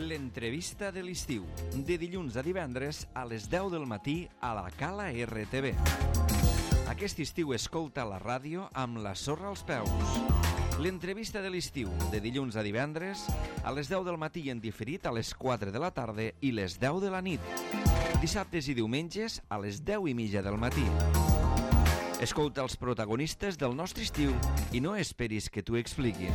L'entrevista de l'estiu, de dilluns a divendres a les 10 del matí a la Cala RTV. Aquest estiu escolta la ràdio amb la sorra als peus. L'entrevista de l'estiu, de dilluns a divendres a les 10 del matí i en diferit a les 4 de la tarda i les 10 de la nit. Dissabtes i diumenges a les 10:30 del matí. Escolta els protagonistes del nostre estiu i no esperis que t'ho expliquin.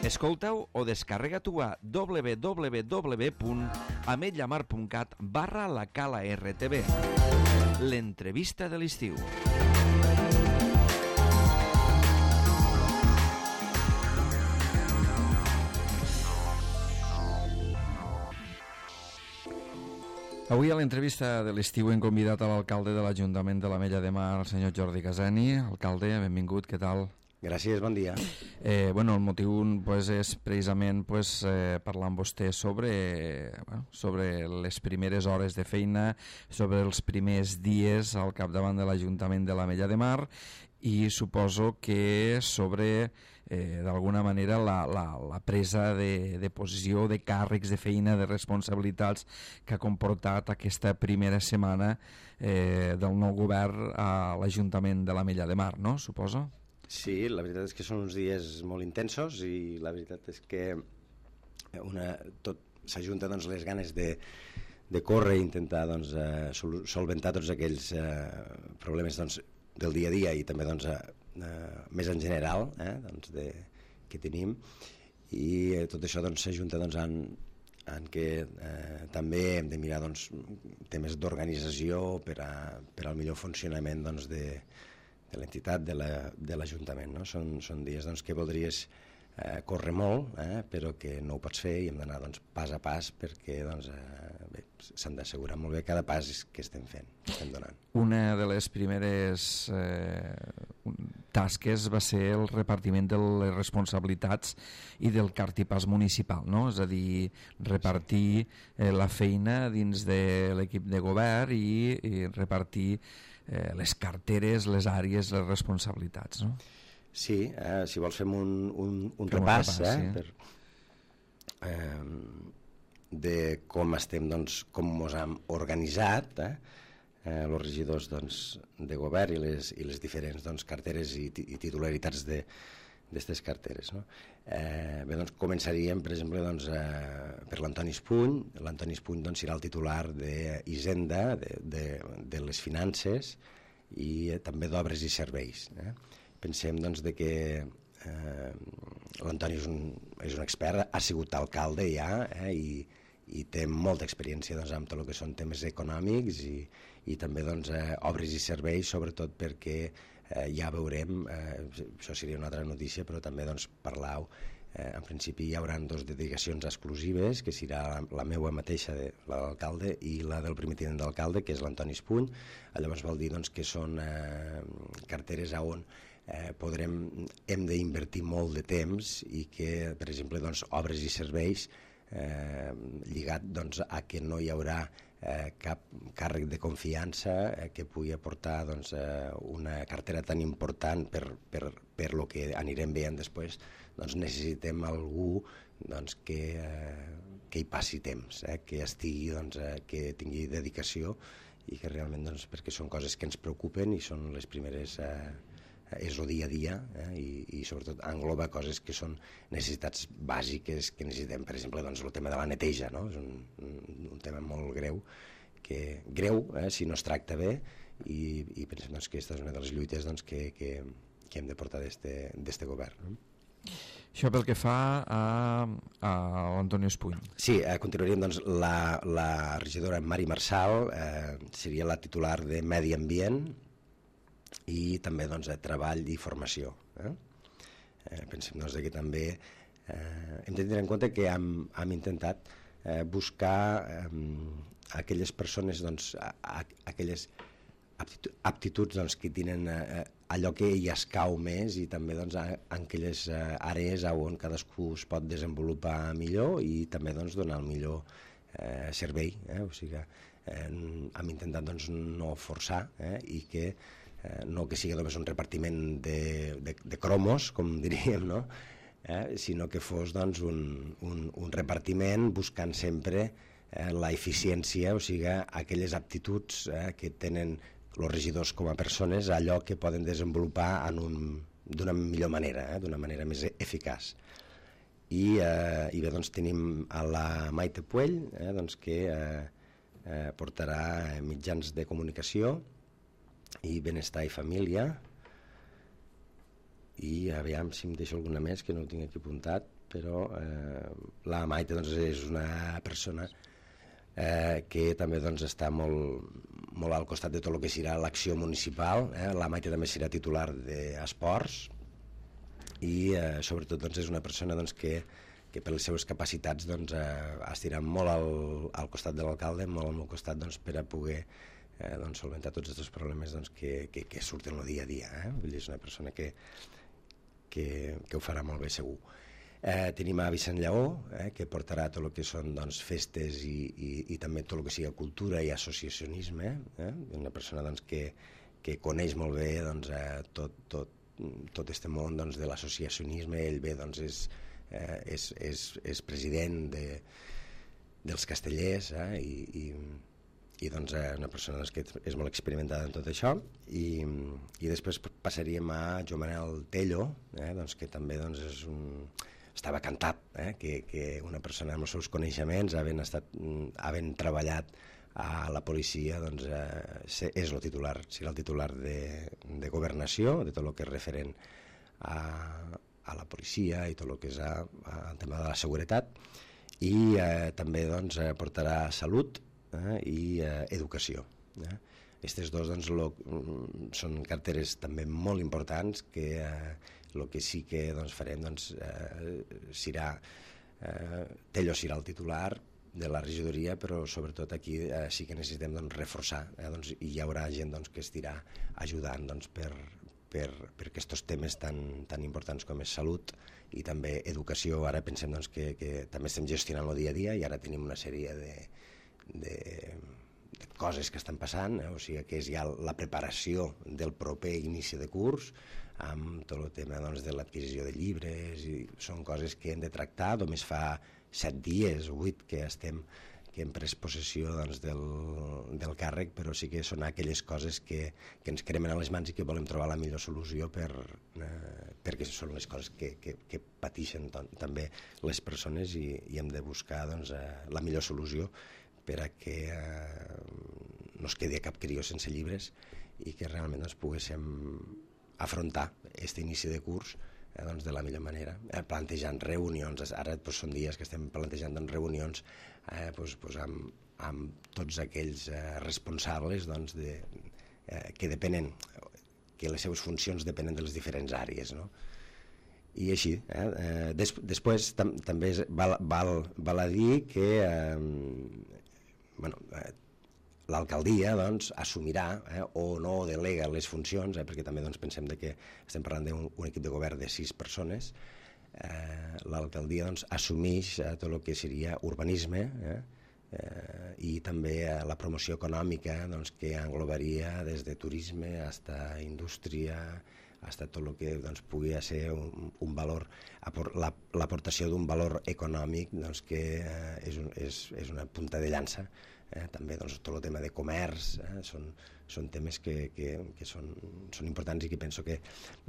Escolta-ho o descarrega-t'ho a www.ametlllamar.cat/la Cala RTV. L'entrevista de l'estiu. Avui a l'entrevista de l'estiu hem convidat a l'alcalde de l'Ajuntament de l'Ametlla de Mar, el senyor Jordi Casani. Alcalde, benvingut, què tal? Gràcies, bon dia. El motiu és precisament parlar amb vostè sobre les primeres hores de feina, sobre els primers dies al capdavant de l'Ajuntament de l'Ametlla de Mar i suposo que sobre d'alguna manera la presa de posició, de càrrecs de feina, de responsabilitats que ha comportat aquesta primera setmana del nou govern a l'Ajuntament de l'Ametlla de Mar, no? Suposo? Sí, la veritat és que són uns dies molt intensos i la veritat és que tot s'ajunta les ganes de córrer i intentar solventar tots aquells problemes del dia a dia i també més en general que tenim, i tot això s'ajunta en què també hem de mirar temes d'organització per al millor funcionament de l'entitat, de l'Ajuntament, no? Són dies que voldries córrer molt, però que no ho pots fer i hem d'anar pas a pas perquè s'han d'assegurar molt bé cada pas que estem fent, que estem donant. Una de les primeres tasques va ser el repartiment de les responsabilitats i del cartipàs municipal, no? És a dir, repartir la feina dins de l'equip de govern i repartir les carteres, les àrees, les responsabilitats, no? Sí, si vols fem un repàs de com estem, com ens hem organitzat, els regidors de govern i les diferents carteres i titularitats d'aquestes carteres, no? Començaríem, per exemple, per l'Antoni Espuny. L'Antoni Espuny serà el titular d'Hisenda, de les finances i també d'obres i serveis. Pensem que l'Antoni és un expert, ha sigut alcalde ja i té molta experiència amb tot el que són temes econòmics i també obres i serveis, sobretot perquè ja veurem, això seria una altra notícia, però també parlar, en principi hi haurà 2 dedicacions exclusives, que serà la meva mateixa, l'alcalde, i la del primer tinent d'alcalde, que és l'Antoni Espuny. Llavors vol dir que són carteres on hem d'invertir molt de temps i que, per exemple, obres i serveis lligat a que no hi haurà cap càrrec de confiança que pugui aportar una cartera tan important per lo que anirem veient després. Necessitem algú que hi passi temps, que estigui, que tingui dedicació i que realment, perquè són coses que ens preocupen i són les primeres, és el dia a dia, i sobretot engloba coses que són necessitats bàsiques que necessitem. Per exemple, el tema de la neteja, no? És un tema molt greu, si no es tracta bé, i pensem que aquesta és una de les lluites que hem de portar d'este govern. Això pel que fa a l'Antoni Espuny. Sí, continuaríem, la regidora Mari Marçal seria la titular de Medi Ambient i també treball i formació. Pensem que també hem de tenir en compte que hem intentat buscar aquelles persones, aquelles aptituds que tenen allò que hi escau més, i també en aquelles àrees on cadascú es pot desenvolupar millor i també donar el millor servei. O sigui que hem intentat no forçar i no que sigui només un repartiment de cromos, com diríem, no? sinó que fos doncs, un repartiment buscant sempre la eficiència, o sigui, aquelles aptituds que tenen els regidors com a persones, allò que poden desenvolupar d'una millor manera, d'una manera més eficaç. I bé, doncs tenim a la Maite Puell, doncs, que portarà mitjans de comunicació i benestar i família, i aviam si em deixo alguna més que no ho tinc aquí apuntat, però la Maite doncs, és una persona que també doncs, està molt al costat de tot el que serà l'acció municipal. La Maite també serà titular d'esports i sobretot doncs, és una persona doncs, que per les seves capacitats doncs, estirà molt al costat de l'alcalde, molt al meu costat doncs, per a poder doncs, solventar tots aquests problemes doncs, que surten el dia a dia. Vull dir, és una persona que ho farà molt bé segur. Tenim a Vicent Lleó, que portarà tot el que són doncs, festes i també tot el que sigui cultura i associacionisme, una persona doncs, que coneix molt bé doncs, tot este món doncs, de l'associacionisme. Ell bé doncs, és president dels Castellers i doncs, una persona doncs, que és molt experimentada en tot això. I després passaríem a Joan Manel Tello, doncs, que també doncs, estava cantat, que una persona amb els seus coneixements, havent treballat a la policia, doncs, és el titular, serà el titular de governació, de tot el que és referent a la policia i tot el que és el tema de la seguretat, i també doncs, portarà salut i educació. Aquestes dos doncs, són carteres també molt importants que el que sí que doncs, farem doncs, serà Tello serà el titular de la regidoria, però sobretot aquí sí que necessitem doncs, reforçar, doncs, i hi haurà gent doncs, que estirà ajudant doncs, per aquests temes tan importants com és salut i també educació. Ara pensem doncs, que també estem gestionant el dia a dia i ara tenim una sèrie de coses que estan passant, o sigui que és ja la preparació del proper inici de curs, amb tot el tema doncs, de l'adquisició de llibres, i són coses que hem de tractar. Només fa 7 dies o 8 que hem pres possessió doncs, del càrrec, però sí que són aquelles coses que ens cremen a les mans i que volem trobar la millor solució perquè són les coses que pateixen també les persones i hem de buscar doncs, la millor solució per a que no es quedi cap crió sense llibres i que realment doncs, poguéssim afrontar aquest inici de curs doncs, de la millor manera, plantejant reunions. Ara doncs, són dies que estem plantejant doncs, reunions doncs, amb tots aquells responsables doncs, que depenen, que les seves funcions depenen de les diferents àrees, no? I així, després també val a dir que l'alcaldia doncs, assumirà o no delega les funcions, perquè també doncs, pensem que estem parlant d'un equip de govern de 6 persones. L'alcaldia doncs, assumeix tot el que seria urbanisme i també la promoció econòmica doncs, que englobaria des de turisme fins a indústria, fins a tot el que doncs, pugui ser un valor, l'aportació d'un valor econòmic doncs, que és una punta de llança. També doncs, tot el tema de comerç són temes que són importants i que penso que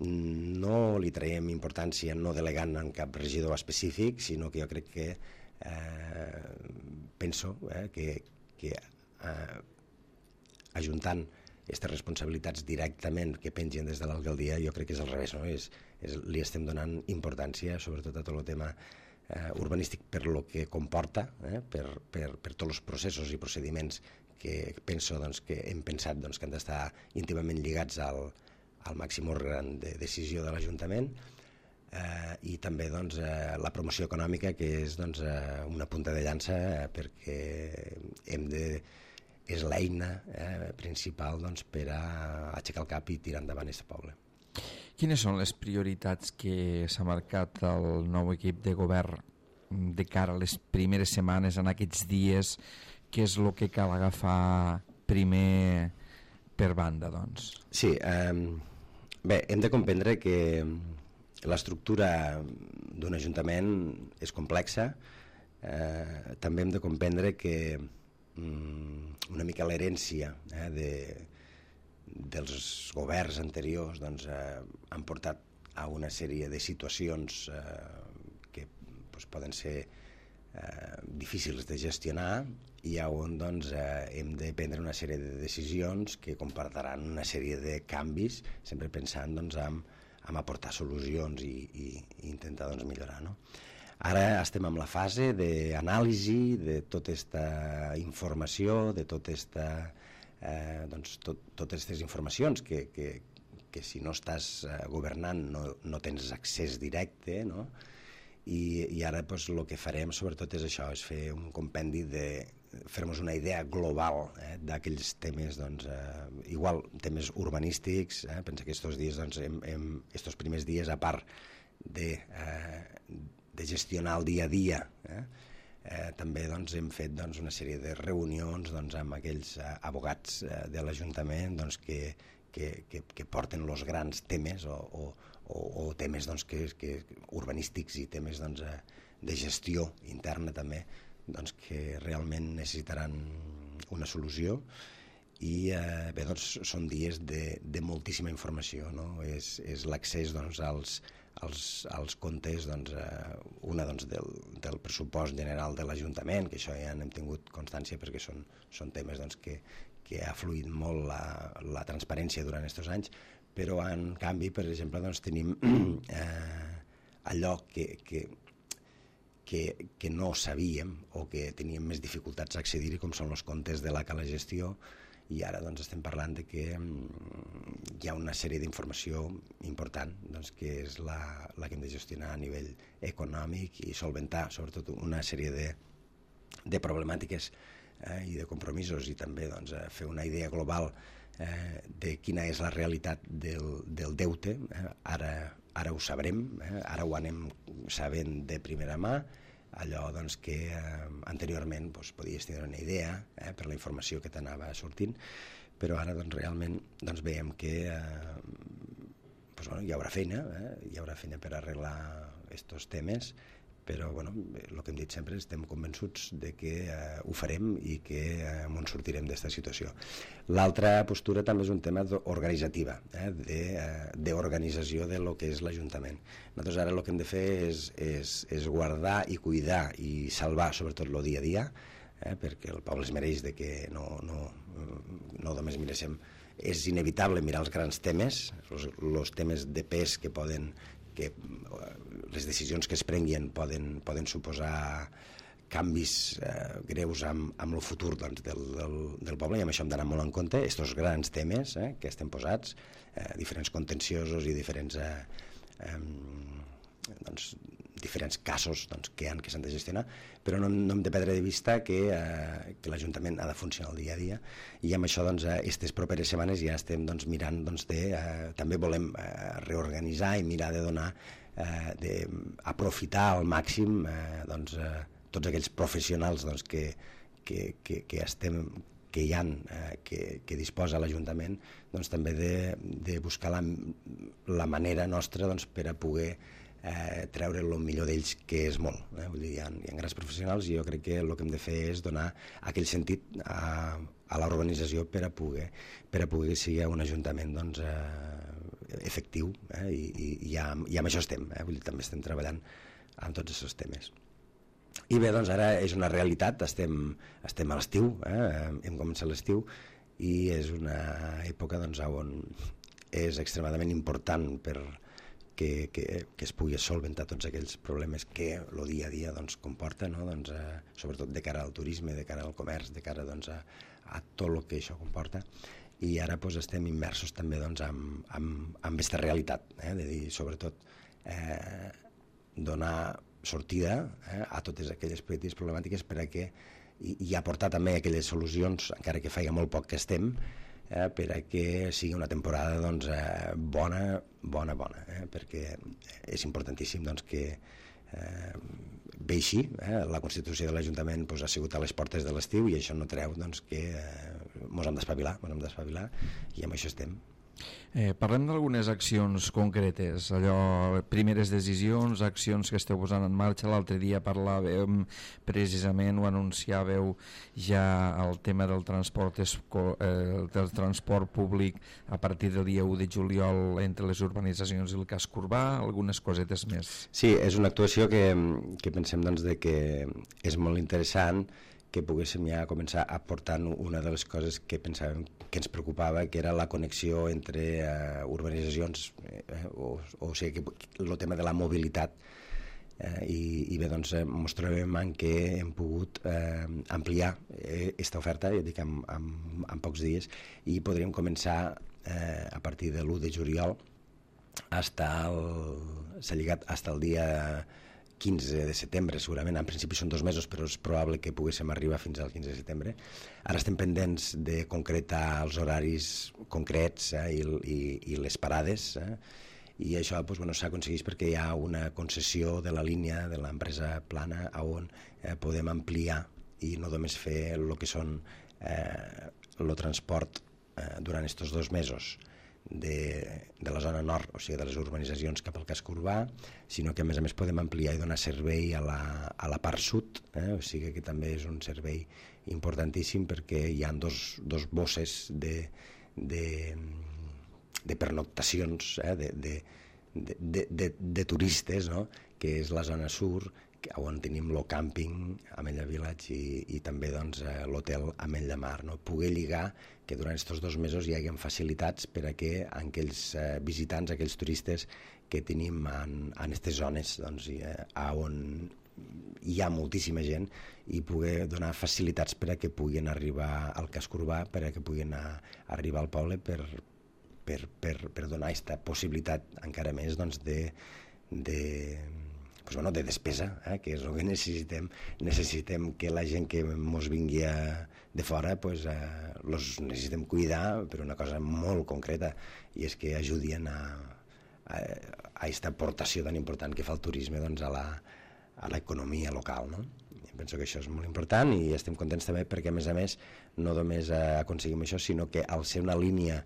no li traiem importància no delegant en cap regidor específic, sinó que jo crec que penso que ajuntant aquestes responsabilitats directament que pengen des de l'alcaldia, jo crec que és al revés, no? Li estem donant importància sobretot a tot el tema urbanístic per lo que comporta, per tots els processos i procediments que penso doncs, que hem pensat doncs, que han d'estar íntimament lligats al màxim òrgan de decisió de l'Ajuntament, i també doncs, la promoció econòmica, que és doncs, una punta de llança perquè és l'eina principal doncs, per a aixecar el cap i tirar endavant aquest poble. Quines són les prioritats que s'ha marcat el nou equip de govern de cara a les primeres setmanes, en aquests dies? Què és el que cal agafar primer per banda, doncs? Sí, bé, hem de comprendre que l'estructura d'un ajuntament és complexa. També hem de comprendre que una mica l'herència dels governs anteriors doncs, han portat a una sèrie de situacions que doncs, poden ser difícils de gestionar i on doncs, hem de prendre una sèrie de decisions que comportaran una sèrie de canvis, sempre pensant doncs, en aportar solucions i intentar doncs, millorar, no? Ara estem en la fase d'anàlisi de tota aquesta informació, de totes aquestes informacions que si no estàs governant no tens accés directe, no? I ara doncs, el que farem sobretot és això, és fer un compendi fer-nos una idea global d'aquells temes, doncs, igual temes urbanístics, pensa que estos dies, doncs, estos primers dies, a part de gestionar el dia a dia, també doncs, hem fet doncs, una sèrie de reunions doncs, amb aquells abogats de l'Ajuntament doncs, que porten els grans temes o temes doncs, urbanístics i temes doncs, de gestió interna també, doncs, que realment necessitaran una solució. I bé, doncs, són dies de moltíssima informació, no? És l'accés doncs, als comptes, doncs, una doncs, del pressupost general de l'Ajuntament, que això ja n'hem tingut constància perquè són temes doncs, que ha fluït molt la transparència durant aquests anys, però en canvi, per exemple, doncs, tenim allò que no sabíem o que teníem més dificultats a accedir-hi, com són els comptes de la Cala Gestió, i ara doncs, estem parlant de que hi ha una sèrie d'informació important doncs, que és la que hem de gestionar a nivell econòmic i solventar sobretot una sèrie de problemàtiques i de compromisos i també doncs, fer una idea global de quina és la realitat del deute. Ara ho sabrem, ara ho anem sabent de primera mà, allò doncs, que anteriorment doncs, podies tenir una idea per la informació que t'anava sortint, però ara doncs, realment doncs, veiem que doncs, bueno, hi haurà feina per arreglar aquests temes, però bueno, el que hem dit sempre, estem convençuts de que ho farem i que ens sortirem d'aquesta situació. L'altra postura també és un tema organitzativa, d'organització de lo que és l'Ajuntament. Nosaltres ara el que hem de fer és guardar i cuidar i salvar sobretot el dia a dia, perquè el poble es mereix de que no només miréssim. És inevitable mirar els grans temes, els temes de pes que les decisions que es prenguin poden suposar canvis greus amb el futur doncs, del poble, i amb això hem d'anar molt en compte. Aquests grans temes que estem posats, diferents contenciosos i diferents casos doncs, que s'han de gestionar, però no hem de perdre de vista que l'Ajuntament ha de funcionar el dia a dia, i amb això aquestes properes setmanes ja estem mirant també volem reorganitzar i mirar de donar d'aprofitar al màxim tots aquells professionals que hi ha, que disposa l'Ajuntament, també de buscar la manera nostra per a poder treure el millor d'ells, que és molt. Vull dir, hi ha grans professionals i jo crec que el que hem de fer és donar aquell sentit a l'organització per a poder que sigui un ajuntament efectiu, i amb això estem. Vull dir, també estem treballant en tots aquests temes. I bé, doncs ara és una realitat, estem a l'estiu, hem començat l'estiu, i és una època on és extremadament important que es pugui solventar tots aquells problemes que el dia a dia comporta, no? Sobretot de cara al turisme, de cara al comerç, de cara a tot el que això comporta. I ara estem immersos també en aquesta realitat, de dir, sobretot, donar sortida a totes aquelles petites problemàtiques i aportar també aquelles solucions, encara que faci molt poc que estem, per a que sigui una temporada bona, perquè és importantíssim que bé així, la Constitució de l'Ajuntament ha sigut a les portes de l'estiu, i això no treu que ens hem d'espavilar, i amb això estem. Parlem d'algunes accions concretes, allò, primeres decisions, accions que esteu posant en marxa. L'altre dia parlàvem precisament, ho anunciàveu ja, el tema del transport públic a partir del dia 1 de juliol entre les urbanitzacions i el casc urbà, algunes cosetes més. Sí, és una actuació que pensem doncs, que és molt interessant, que poguéssim ja començar aportant una de les coses que pensàvem que ens preocupava, que era la connexió entre urbanitzacions, o sigui, el tema de la mobilitat. I bé, doncs, ens trobem en què hem pogut ampliar aquesta oferta, ja dic, en pocs dies, i podríem començar a partir de l'1 de juliol s'ha lligat fins al dia 15 de setembre, segurament. En principi són 2 mesos, però és probable que poguéssim arribar fins al 15 de setembre. Ara estem pendents de concretar els horaris concrets i les parades, i això s'ha aconseguit perquè hi ha una concessió de la línia de l'empresa Plana on podem ampliar i no només fer el que són el transport durant aquests 2 mesos de la zona nord, o sigui, de les urbanitzacions cap al casc urbà, sinó que a més podem ampliar i donar servei a la part sud, o sigui que també és un servei importantíssim perquè hi ha dos bosses de pernoctacions de turistes, no? Que és la zona sur, on tenim el càmping Ametlla Village i també doncs, l'hotel Ametlla Mar, no? Poder lligar que durant aquests 2 mesos hi hagi facilitats per a que aquells visitants, aquells turistes que tenim en aquestes zones, doncs, on hi ha moltíssima gent, i poder donar facilitats per a que puguin arribar al casc urbà, per a que puguin arribar al poble, per donar aquesta possibilitat encara més doncs, de despesa, que és el que necessitem. Necessitem que la gent que ens vingui de fora els necessitem cuidar per una cosa molt concreta, i és que ajudin a aquesta aportació tan important que fa el turisme doncs, a l'economia local, no? Penso que això és molt important i estem contents també perquè, a més, no només aconseguim això, sinó que al ser una línia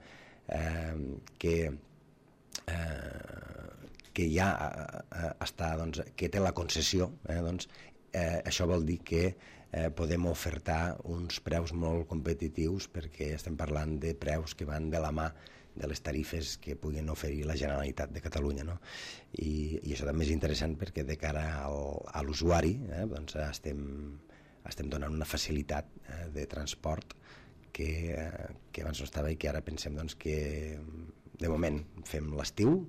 que ja està, doncs, que té la concessió, això vol dir que podem ofertar uns preus molt competitius, perquè estem parlant de preus que van de la mà de les tarifes que puguin oferir la Generalitat de Catalunya, no? I això també és interessant perquè de cara a l'usuari doncs estem donant una facilitat de transport que abans no estava i que ara pensem doncs, que de moment fem l'estiu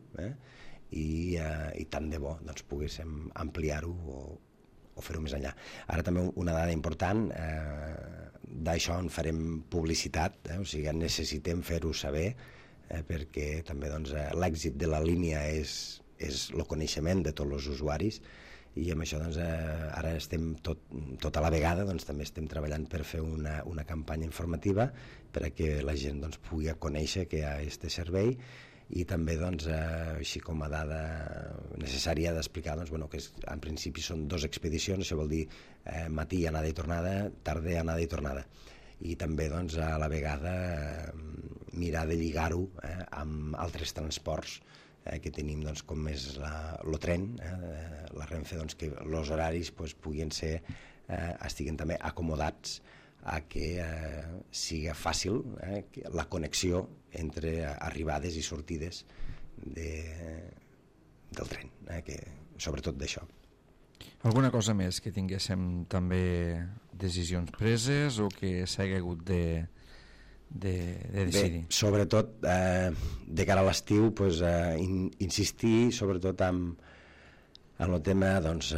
i tant de bo doncs, poguéssim ampliar-ho o fer-ho més enllà. Ara també una dada important, d'això en farem publicitat, o sigui, necessitem fer-ho saber, perquè també doncs, l'èxit de la línia és el coneixement de tots els usuaris, i amb això doncs, ara estem tot a la vegada, doncs, també estem treballant per fer una campanya informativa perquè la gent doncs, pugui conèixer que hi ha aquest servei, i també doncs, així com a dada necessària d'explicar doncs, que en principi són 2 expedicions, això vol dir matí anada i tornada, tarda anada i tornada, i també doncs, a la vegada mirar de lligar-ho amb altres transports que tenim, doncs, com és el tren, la Renfe, doncs, que els horaris puguin ser, estiguen també acomodats a que siga fàcil la connexió entre arribades i sortides del tren, sobretot d'això. Alguna cosa més que tinguéssim també decisions preses o que s'hagi hagut de decidir? Bé, sobretot de cara a l'estiu insistir sobretot en el tema doncs,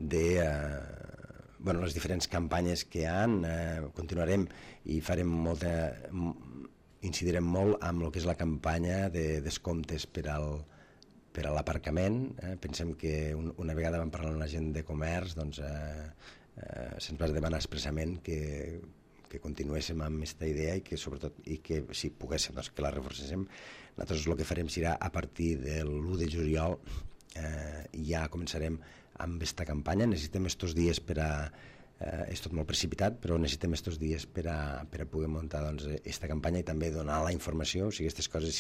de les diferents campanyes que hi ha. Continuarem i incidirem molt amb el que és la campanya de descomptes per a l'aparcament. Pensem que una vegada vam parlar amb la gent de comerç, doncs se'ns va demanar expressament que continuéssim amb aquesta idea i que sobretot, i que si poguéssim doncs, que la reforcéssim. Nosaltres el que farem serà a partir de l'1 de juliol ja començarem amb aquesta campanya. Necessitem estos dies per a és tot molt precipitat, però necessitem estos dies per a poder muntar esta campanya i també donar la informació, o sigui, aquestes coses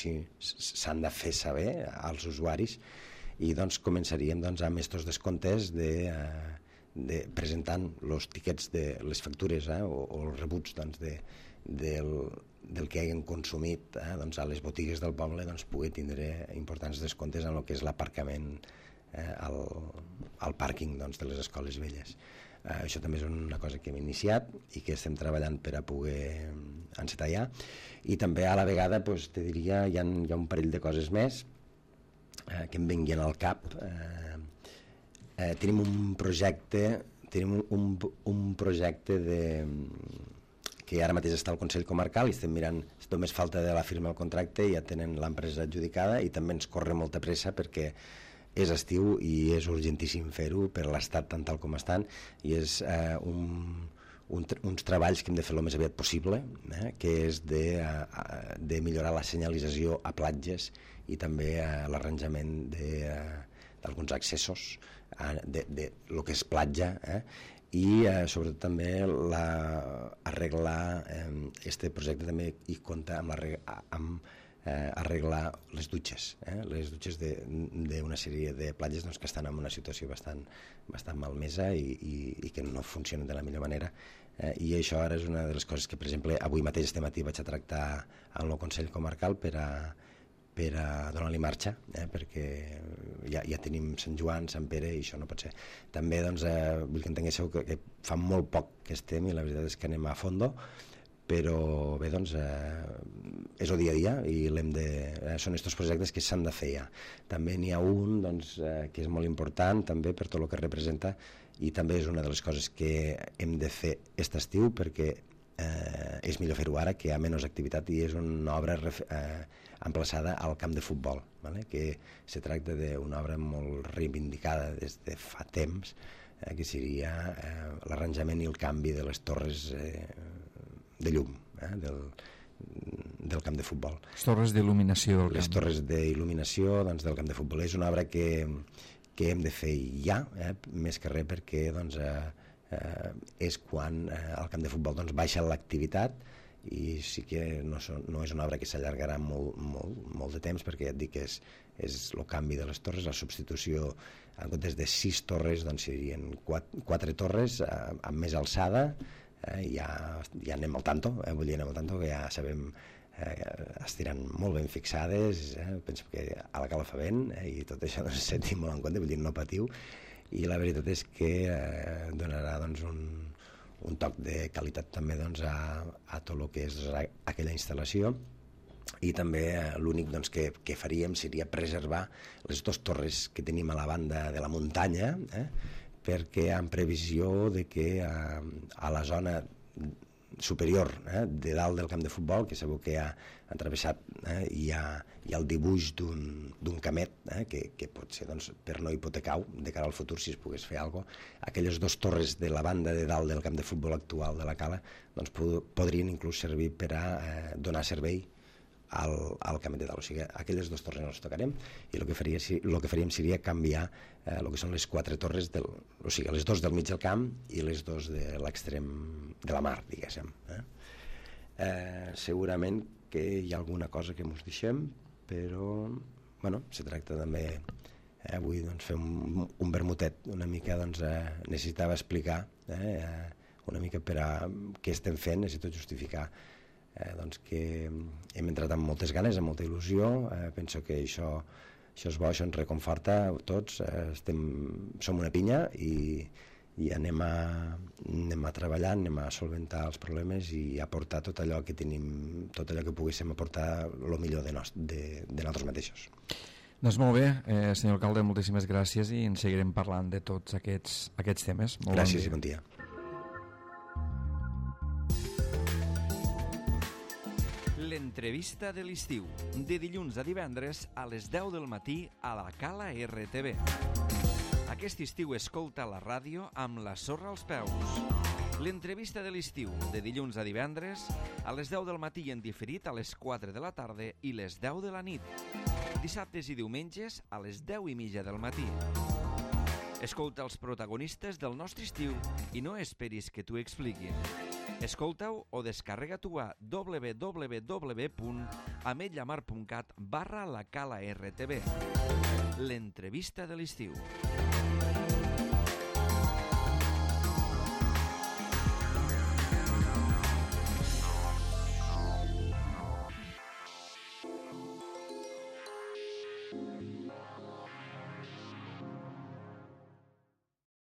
s'han de fer saber als usuaris, i començaríem amb estos descomptes presentant els tiquets de les factures o els rebuts del que hagin consumit a les botigues del poble, poder tindre importants descomptes en el que és l'aparcament al pàrquing de les escoles velles. Això també és una cosa que hem iniciat i que estem treballant per a poder encetar ja, i també a la vegada te diria hi ha un parell de coses més que em venguin al cap. Tenim un projecte que ara mateix està al Consell Comarcal i estem mirant, només falta de la firma del contracte i ja tenen l'empresa adjudicada, i també ens corre molta pressa perquè és estiu i és urgentíssim fer-ho per l'estat tal com estan, i és uns treballs que hem de fer el més aviat possible, que és de millorar la senyalització a platges i també l'arranjament d'alguns accessos de lo que és platja, i sobretot també arreglar este projecte també hi compta amb arreglar les dutxes d'una sèrie de platges que estan en una situació bastant malmesa i que no funcionen de la millor manera, i això ara és una de les coses que, per exemple, avui mateix este matí vaig a tractar amb el Consell Comarcal per a donar-li marxa, perquè ja tenim Sant Joan, Sant Pere, i això no pot ser. També vull que entenguéssiu que fa molt poc que estem i la veritat és que anem a fondo, però bé, és el dia a dia i són aquests projectes que s'han de fer ja. També n'hi ha un que és molt important també per tot el que representa, i també és una de les coses que hem de fer aquest estiu, perquè és millor fer-ho ara, que hi ha menys activitat, i és una obra emplaçada al camp de futbol, que se tracta d'una obra molt reivindicada des de fa temps, que seria l'arranjament i el canvi de les torres de llum del camp de futbol. Les torres d'il·luminació del camp. Les torres d'il·luminació del camp de futbol. És una obra que hem de fer ja, més que res perquè és quan al camp de futbol baixa l'activitat, i sí que no és una obra que s'allargarà molt de temps, perquè ja et dic que és el canvi de les torres, la substitució, en comptes de 6 torres serien 4 torres amb més alçada. Ja anem al tanto, que ja sabem, estiran molt ben fixades, penso que a la cala fa vent, i tot això sentim molt en compte, vull dir, no patiu, i la veritat és que donarà un toc de qualitat també a tot el que és aquella instal·lació. I també l'únic que faríem seria preservar les 2 torres que tenim a la banda de la muntanya, perquè en previsió de que a la zona superior de dalt del camp de futbol, que sabeu que ha travessat, hi ha el dibuix d'un camet que pot ser per no hipotecar de cara al futur, si es pogués fer alguna cosa. Aquelles 2 torres de la banda de dalt del camp de futbol actual de la cala podrien inclús servir per a donar servei al camet de dalt. O sigui, aquelles 2 torres no les tocarem, i el que faríem seria canviar el que són les 4 torres, o sigui, les 2 del mig del camp i les 2 de l'extrem de la mar, diguéssim. Segurament que hi ha alguna cosa que ens deixem, però se tracta també avui fer un vermutet una mica, necessitava explicar una mica per a què estem fent, necessito justificar que hem entrat amb moltes ganes, amb molta il·lusió. Penso que això és bo, això ens reconforta a tots, som una pinya i anem a treballar, anem a solventar els problemes i aportar tot allò que tenim, tot allò que poguéssim aportar el millor de nosaltres mateixos. Doncs molt bé, senyor alcalde, moltíssimes gràcies, i en seguirem parlant de tots aquests temes. Gràcies i bon dia. L'entrevista de l'estiu, de dilluns a divendres a les 10 del matí a la Cala RTV. Aquest estiu escolta la ràdio amb la sorra als peus. L'entrevista de l'estiu, de dilluns a divendres a les 10 del matí i en diferit a les 4 de la tarda i les 10 de la nit. Dissabtes i diumenges a les 10:30 del matí. Escolta els protagonistes del nostre estiu i no esperis que t'ho expliquin. Escolta-ho o descarrega-t'ho a www.ametllamar.cat/la Cala RTV. L'entrevista de l'estiu.